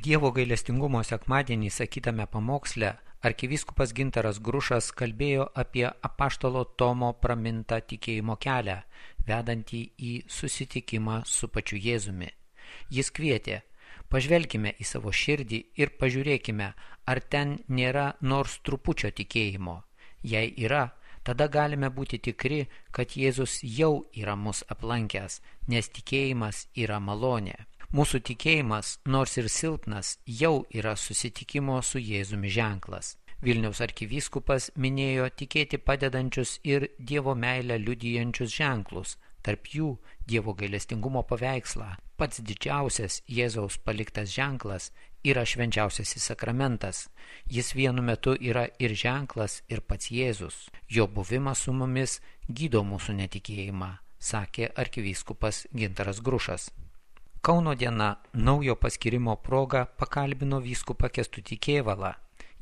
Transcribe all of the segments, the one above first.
Dievo gailestingumo sekmadienį sakytame pamoksle arkivyskupas Gintaras Grušas kalbėjo apie apaštalo Tomo pramintą tikėjimo kelią, vedantį į susitikimą su pačiu Jėzumi. Jis kvietė: pažvelkime į savo širdį ir pažiūrėkime, ar ten nėra nors trupučio tikėjimo. Jei yra, tada galime būti tikri, kad Jėzus jau yra mus aplankęs, nes tikėjimas yra malonė. Mūsų tikėjimas, nors ir silpnas, jau yra susitikimo su Jėzumi ženklas. Vilniaus arkivyskupas minėjo tikėti padedančius ir Dievo meilę liudijančius ženklus, tarp jų Dievo gailestingumo paveikslą. Pats didžiausias Jėzaus paliktas ženklas yra švenčiausiasis sakramentas. Jis vienu metu yra ir ženklas, ir pats Jėzus. Jo buvimas su mumis gydo mūsų netikėjimą, sakė arkivyskupas Gintaras Grušas. Kauno diena naujo paskirimo proga pakalbino vyskupą Kęstutį Kėvalą.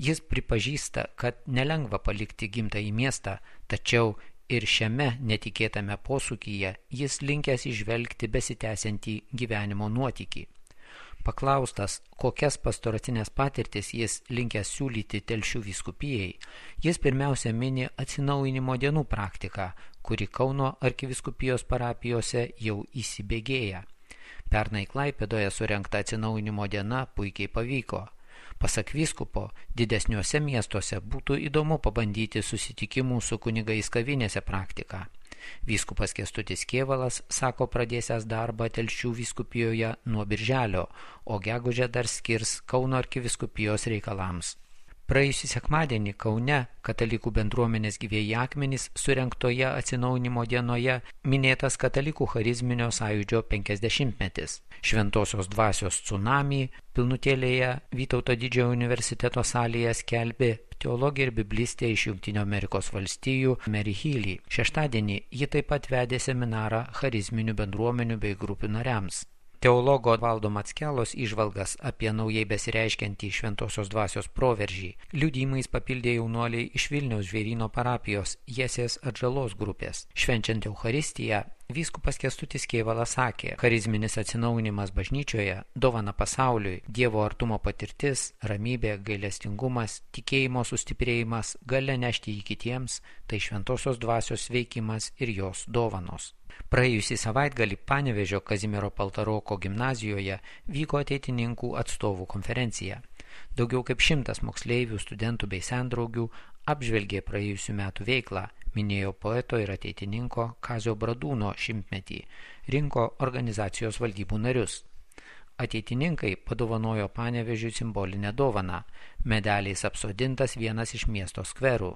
Jis pripažįsta, kad nelengva palikti gimtąjį miestą, tačiau ir šiame netikėtame posūkyje jis linkęs įžvelgti besitęsiantį gyvenimo nuotykį. Paklaustas, kokias pastoracinės patirtis jis linkęs siūlyti Telšių vyskupijai, jis pirmiausia mini atsinaujinimo dienų praktiką, kuri Kauno arkivyskupijos parapijose jau įsibėgėja. Pernai Klaipėdoje surengta atsinaujinimo diena puikiai pavyko. Pasak vyskupo, didesniuose miestuose būtų įdomu pabandyti susitikimų su kunigais kavinėse praktiką. Vyskupas Kęstutis Kėvalas sako pradėsęs darbą Telšių vyskupijoje nuo birželio, o gegužę dar skirs Kauno arkivyskupijos reikalams. Praėjusį sekmadienį Kaune katalikų bendruomenės Gyvieji akmenys surengtoje atsinaujinimo dienoje minėtas katalikų charizminio sąjūdžio 50-metis. Šventosios dvasios tsunamį pilnutėlėje Vytauto Didžiojo universiteto salėje skelbė teologė ir biblistė iš Jungtinių Amerikos valstijų Mary Healy. Šeštadienį ji taip pat vedė seminarą charizminių bendruomenių bei grupių nariams. Teologo Valdo Mackelos įžvalgas apie naujai besireiškiantį šventosios dvasios proveržį liudijimais papildė jaunuoliai iš Vilniaus Žvėryno parapijos Jesės atžalos grupės. Švenčiant Eucharistiją, vyskupas Kęstutis Kėvalas sakė: charizminis atsinaujinimas bažnyčioje, dovana pasauliui, Dievo artumo patirtis, ramybė, gailestingumas, tikėjimo sustiprėjimas, galia nešti jį kitiems, tai šventosios dvasios veikimas ir jos dovanos. Praėjusį savaitgalį Panevėžio Kazimiero Paltaroko gimnazijoje vyko ateitininkų atstovų konferencija. Daugiau kaip 100 moksleivių, studentų bei sendraugių apžvelgė praėjusių metų veiklą, minėjo poeto ir ateitininko Kazio Bradūno 100-metį, rinko organizacijos valdybų narius. Ateitininkai padovanojo Panevėžiui simbolinę dovaną – medaliais apsodintas vienas iš miesto skverų.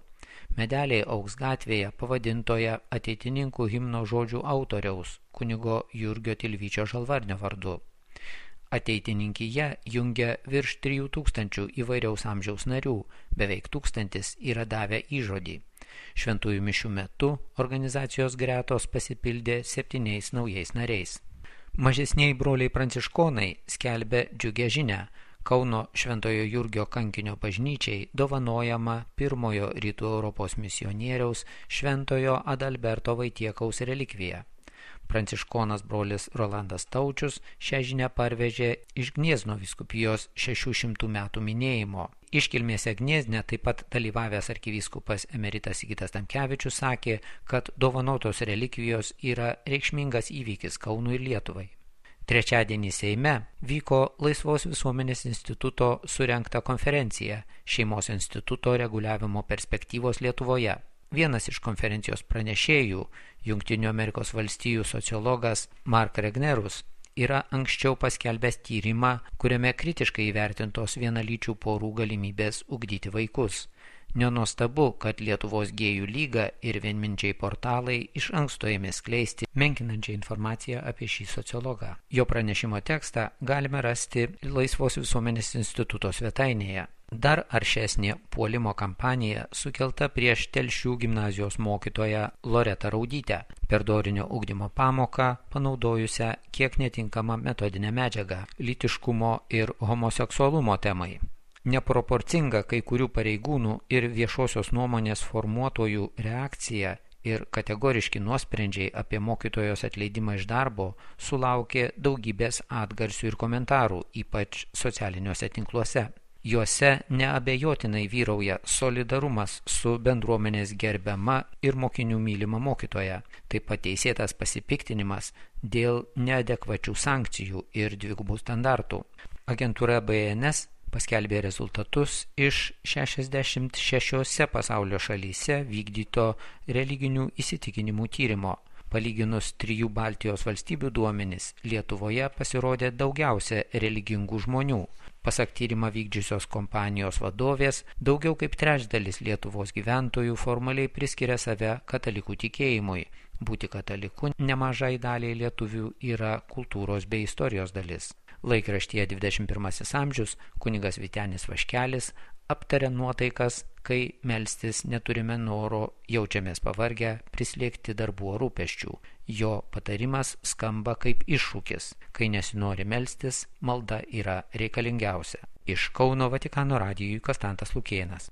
Medeliai augs gatvėje pavadintoje ateitininkų himno žodžių autoriaus, kunigo Jurgio Tilvyčio Žalvarnio vardu. Ateitininkyje jungia virš 3000 įvairiaus amžiaus narių, beveik 1000 yra davę įžodį. Šventųjų mišių metu organizacijos gretos pasipildė 7 naujais nariais. Mažesnieji broliai pranciškonai skelbia džiugią žinią. Kauno Šventojo Jurgio kankinio bažnyčiai dovanojama pirmojo rytų Europos misionieriaus Šventojo Adalberto Vaitiekaus relikvija. Pranciškonas brolis Rolandas Taučius šią žinią parvežė iš Gniezno vyskupijos 600 metų minėjimo. Iškilmėse Gniezne taip pat dalyvavęs arkivyskupas emeritas Sigitas Tamkevičius sakė, kad dovanotos relikvijos yra reikšmingas įvykis Kaunui ir Lietuvai. Trečiadienį Seime vyko Laisvos visuomenės instituto surengta konferencija Šeimos instituto reguliavimo perspektyvos Lietuvoje. Vienas iš konferencijos pranešėjų, Jungtinių Amerikos valstijų sociologas Mark Regnerus, yra anksčiau paskelbęs tyrimą, kuriame kritiškai įvertintos vienalyčių porų galimybės ugdyti vaikus. Nenuostabu, kad Lietuvos gėjų lyga ir vienminčiai portalai iš anksto ėmė skleisti menkinančią informaciją apie šį sociologą. Jo pranešimo tekstą galime rasti Laisvos visuomenės instituto svetainėje. Dar aršesnė puolimo kampanija sukelta prieš Telšių gimnazijos mokytoją Loretą Raudytę, per dorinio ugdymo pamoką panaudojusią kiek netinkamą metodinę medžiagą lytiškumo ir homoseksualumo temai. Neproporcinga kai kurių pareigūnų ir viešosios nuomonės formuotojų reakcija ir kategoriški nuosprendžiai apie mokytojos atleidimą iš darbo sulaukė daugybės atgarsių ir komentarų, ypač socialiniuose tinkluose. Juose neabejotinai vyrauja solidarumas su bendruomenės gerbiama ir mokinių mylima mokytoja, taip pat teisėtas pasipiktinimas dėl neadekvačių sankcijų ir dvigubų standartų. Agentūra BNS paskelbė rezultatus iš 66 pasaulio šalyse vykdyto religinių įsitikinimų tyrimo. Palyginus 3 Baltijos valstybių duomenis, Lietuvoje pasirodė daugiausia religingų žmonių. Pasak tyrimą vykdžiusios kompanijos vadovės, daugiau kaip trečdalis Lietuvos gyventojų formaliai priskiria save katalikų tikėjimui. Būti kataliku nemažai daliai lietuvių yra kultūros bei istorijos dalis. Laikraštyje 21 amžius kunigas Vytenis Vaškelis aptarė nuotaikas, kai melstis neturime noro, jaučiamės pavargę, prislėgti darbų rūpesčių. Jo patarimas skamba kaip iššūkis. Kai nesinori melstis, malda yra reikalingiausia. Iš Kauno Vatikano radijui Konstantas Lukėnas.